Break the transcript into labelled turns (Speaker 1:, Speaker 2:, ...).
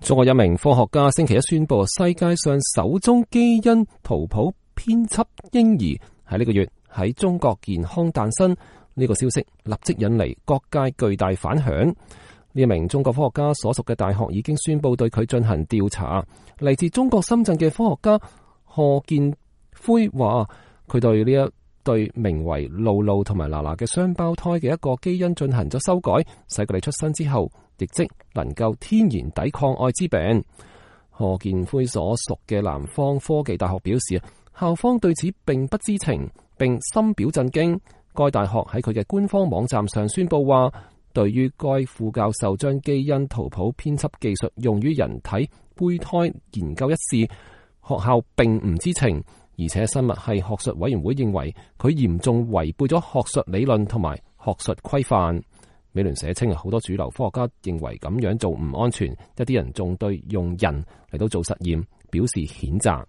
Speaker 1: 中國一名科學家星期一宣布，世界上首宗基因圖譜編輯嬰兒喺呢個月喺中國健康誕生。呢個消息立即引嚟各界巨大反響。呢一名中國科學家所屬嘅大學已經宣布對佢進行調查。嚟自中國深圳嘅科學家賀建輝話，佢對呢一對名為露露同埋娜娜嘅雙胞胎嘅一個基因進行咗修改，使佢哋出生之後亦即能夠天然抵抗艾滋病。賀建輝所屬嘅南方科技大學表示，校方對此並不知情，並深表震驚。該大學喺佢嘅官方網站上宣布話，對於該副教授將基因圖譜編輯技術用於人體胚胎研究一事，學校並唔知情，而且生物系學術委員會認為佢嚴重違背咗學術理論同埋學術規範。美聯社稱，好多主流科學家認為咁樣做唔安全，一啲人仲對用人嚟到做實驗表示譴責。